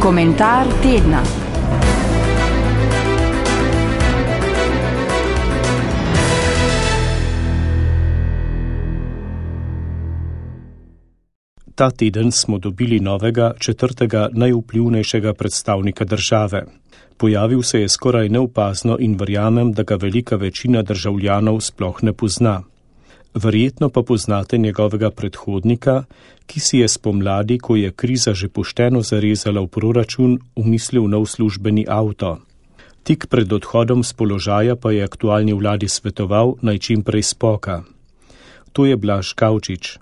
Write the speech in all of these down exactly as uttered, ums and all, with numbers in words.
Komentar tedna. Ta teden smo dobili novega, četrtega najvplivnejšega predstavnika države. Pojavil se je skoraj neopazno in verjamem, da ga velika večina državljanov sploh ne pozna. Verjetno pa poznate njegovega predhodnika, ki si je spomladi, ko je kriza že pošteno zarezala v proračun, umislil nov službeni avto. Tik pred odhodom z položaja pa je aktualni vladi svetoval, naj čim prej spoka. To je Blaž Kavčič.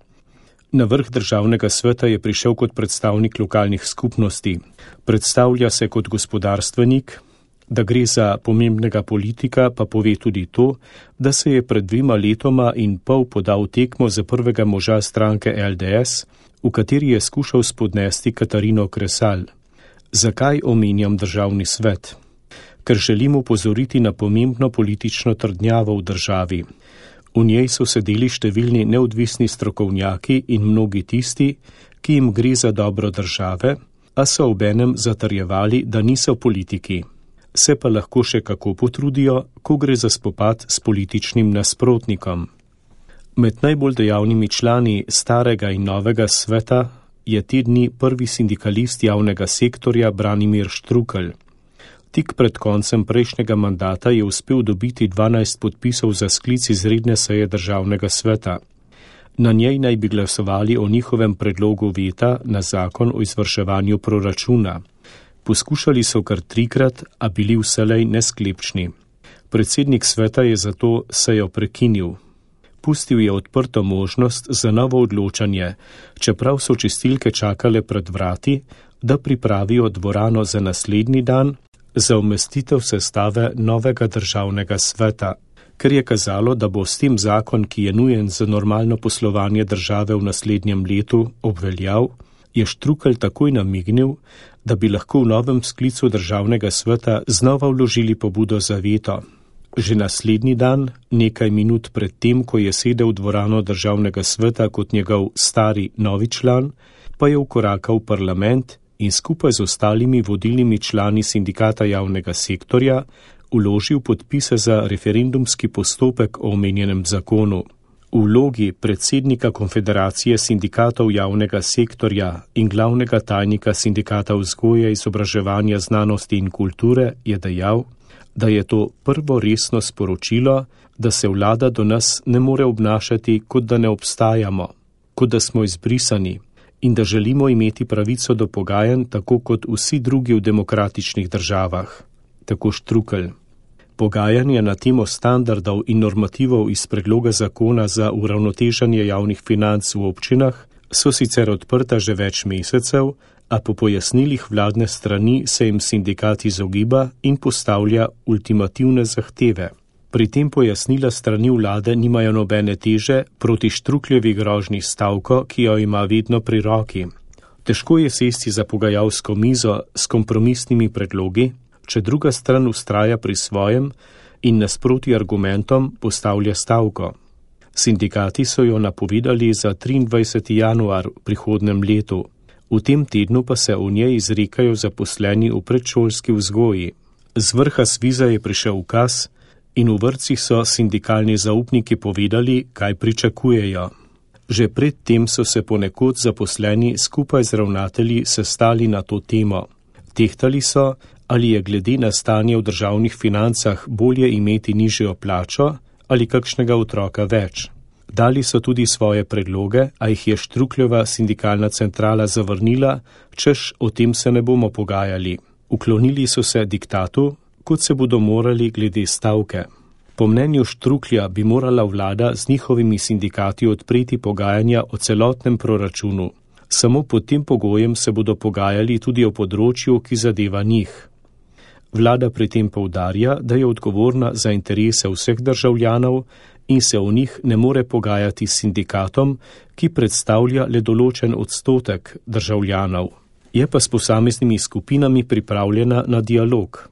Na vrh državnega sveta je prišel kot predstavnik lokalnih skupnosti. Predstavlja se kot gospodarstvenik, da gre za pomembnega politika, pa pove tudi to, da se je pred dvema letoma in pol podal tekmo za prvega moža stranke L D S, v kateri je skušal spodnesti Katarino Kresal. Zakaj omenjam državni svet? Ker želim opozoriti na pomembno politično trdnjavo v državi. V njej so sedeli številni neodvisni strokovnjaki in mnogi tisti, ki jim gre za dobro države, a so obenem zatrjevali, da niso politiki. Se pa lahko še kako potrudijo, ko gre za spopad s političnim nasprotnikom. Med najbolj dejavnimi člani starega in novega sveta je te dni prvi sindikalist javnega sektorja Branimir Štrukelj. Tik pred koncem prejšnjega mandata je uspel dobiti dvanajst podpisov za sklic izredne seje državnega sveta. Na njej naj bi glasovali o njihovem predlogu veta na zakon o izvrševanju proračuna. Poskušali so kar trikrat, a bili vselej nesklepčni. Predsednik sveta je zato sejo prekinil. Pustil je odprto možnost za novo odločanje, čeprav so čistilke čakale pred vrati, da pripravijo dvorano za naslednji dan, za umestitev sestave novega državnega sveta. Ker je kazalo, da bo s tem zakon, ki je nujen za normalno poslovanje države v naslednjem letu, obveljal, je Štrukelj takoj namignil, da bi lahko v novem sklicu državnega sveta znova vložili pobudo za veto. Že naslednji dan, nekaj minut pred tem, ko je sedel v dvorano državnega sveta kot njegov stari novi član, pa je vkorakal v parlament in skupaj z ostalimi vodilnimi člani sindikata javnega sektorja vložil podpise za referendumski postopek o omenjenem zakonu. V vlogi predsednika Konfederacije sindikatov javnega sektorja in glavnega tajnika sindikata vzgoje, izobraževanja, znanosti in kulture je dejal, da je to prvo resno sporočilo, da se vlada do nas ne more obnašati, kot da ne obstajamo, kot da smo izbrisani, in da želimo imeti pravico do pogajanj tako kot vsi drugi v demokratičnih državah. Tako Štrukelj. Pogajanja na temo standardov in normativov iz predloga zakona za uravnoteženje javnih financ v občinah so sicer odprta že več mesecev, a po pojasnilih vladne strani se jim sindikat izogiba in postavlja ultimativne zahteve. Pri tem pojasnila strani vlade nimajo nobene teže proti Štrukljevi grožnji stavko, ki jo ima vedno pri roki. Težko je sesti za pogajalsko mizo s kompromisnimi predlogi, če druga stran vztraja pri svojem in nasproti argumentom postavlja stavko. Sindikati so jo napovedali za triindvajseti januar v prihodnem letu. V tem tednu pa se v njej izrekajo zaposleni v predšolski vzgoji. Z vrha Sviza je prišel ukaz in v vrtcih so sindikalni zaupniki povedali, kaj pričakujejo. Že predtem so se ponekod zaposleni skupaj z ravnatelji sestali na to temo. Tehtali so, ali je glede na stanje v državnih financah bolje imeti nižjo plačo ali kakšnega otroka več. Dali so tudi svoje predloge, a jih je Štrukljeva sindikalna centrala zavrnila, češ o tem se ne bomo pogajali. Uklonili so se diktatu, kot se bodo morali glede stavke. Po mnenju Štruklja bi morala vlada z njihovimi sindikati odpreti pogajanja o celotnem proračunu. Samo pod tem pogojem se bodo pogajali tudi o področju, ki zadeva njih. Vlada pri tem poudarja, da je odgovorna za interese vseh državljanov in se o njih ne more pogajati s sindikatom, ki predstavlja le določen odstotek državljanov. Je pa s posameznimi skupinami pripravljena na dialog.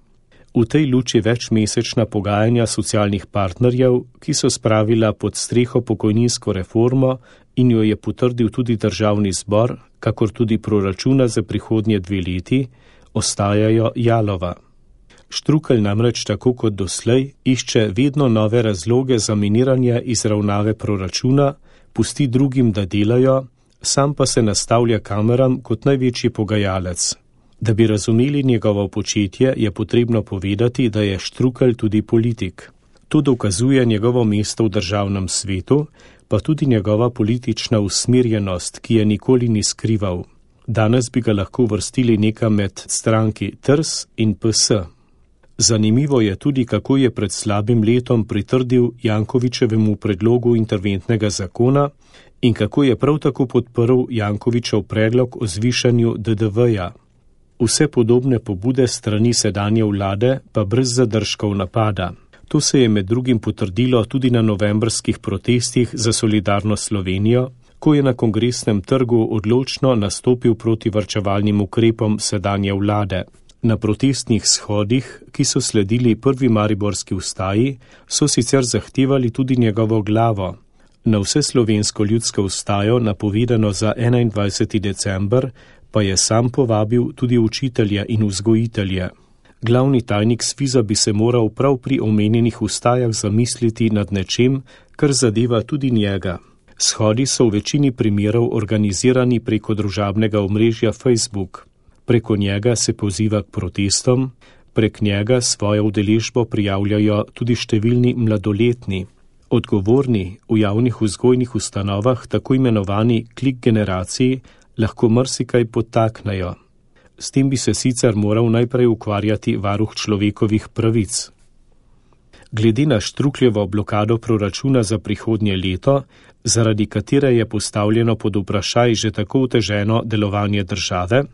V tej luči večmesečna pogajanja socialnih partnerjev, ki so spravila pod streho pokojninsko reformo in jo je potrdil tudi državni zbor, kakor tudi proračuna za prihodnje dve leti, ostajajo jalova. Štrukelj namreč tako kot doslej išče vedno nove razloge za miniranje izravnave proračuna, pusti drugim, da delajo, sam pa se nastavlja kameram kot največji pogajalec. Da bi razumeli njegovo početje, je potrebno povedati, da je Štrukelj tudi politik. To dokazuje njegovo mesto v državnem svetu, pa tudi njegova politična usmerjenost, ki je nikoli ni skrival. Danes bi ga lahko vrstili nekam med stranki T R S in P S. Zanimivo je tudi, kako je pred slabim letom pritrdil Jankovićevemu predlogu interventnega zakona in kako je prav tako podprl Jankovićev predlog o zvišanju D D V-ja. Vse podobne pobude strani sedanje vlade pa brez zadržkov napada. To se je med drugim potrdilo tudi na novembrskih protestih za solidarno Slovenijo, ko je na Kongresnem trgu odločno nastopil proti varčevalnim ukrepom sedanje vlade. Na protestnih shodih, ki so sledili prvi mariborski vstaji, so sicer zahtevali tudi njegovo glavo. Na vseslovensko ljudsko vstajo, napovedano za enaindvajseti december, pa je sam povabil tudi učitelje in vzgojitelje. Glavni tajnik Sviza bi se moral prav pri omenjenih vstajah zamisliti nad nečem, kar zadeva tudi njega. Shodi so v večini primerov organizirani preko družabnega omrežja Facebook. Preko njega se poziva k protestom, prek njega svojo udeležbo prijavljajo tudi številni mladoletni. Odgovorni v javnih vzgojnih ustanovah, tako imenovani klik generaciji, lahko marsikaj podtaknejo. S tem bi se sicer moral najprej ukvarjati varuh človekovih pravic. Glede na Štrukljevo blokado proračuna za prihodnje leto, zaradi katere je postavljeno pod vprašaj že tako oteženo delovanje države,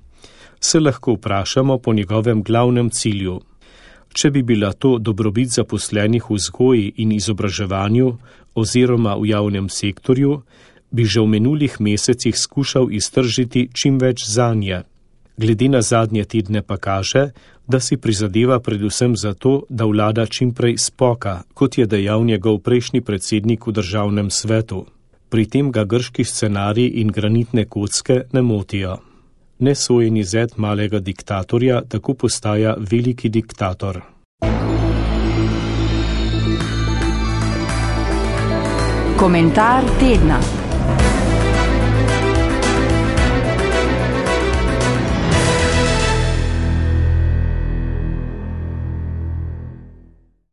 se lahko vprašamo po njegovem glavnem cilju. Če bi bila to dobrobit zaposlenih v vzgoji in izobraževanju oziroma v javnem sektorju, bi že v minulih mesecih skušal iztržiti čim več zanje. Glede na zadnje tedne pa kaže, da si prizadeva predvsem za to, da vlada čimprej spoka, kot je dejal njegov prejšnji predsednik v državnem svetu. Pri tem ga grški scenarij in granitne kocke ne motijo. Nesojeni zet malega diktatorja tako postaja veliki diktator. Komentar tedna.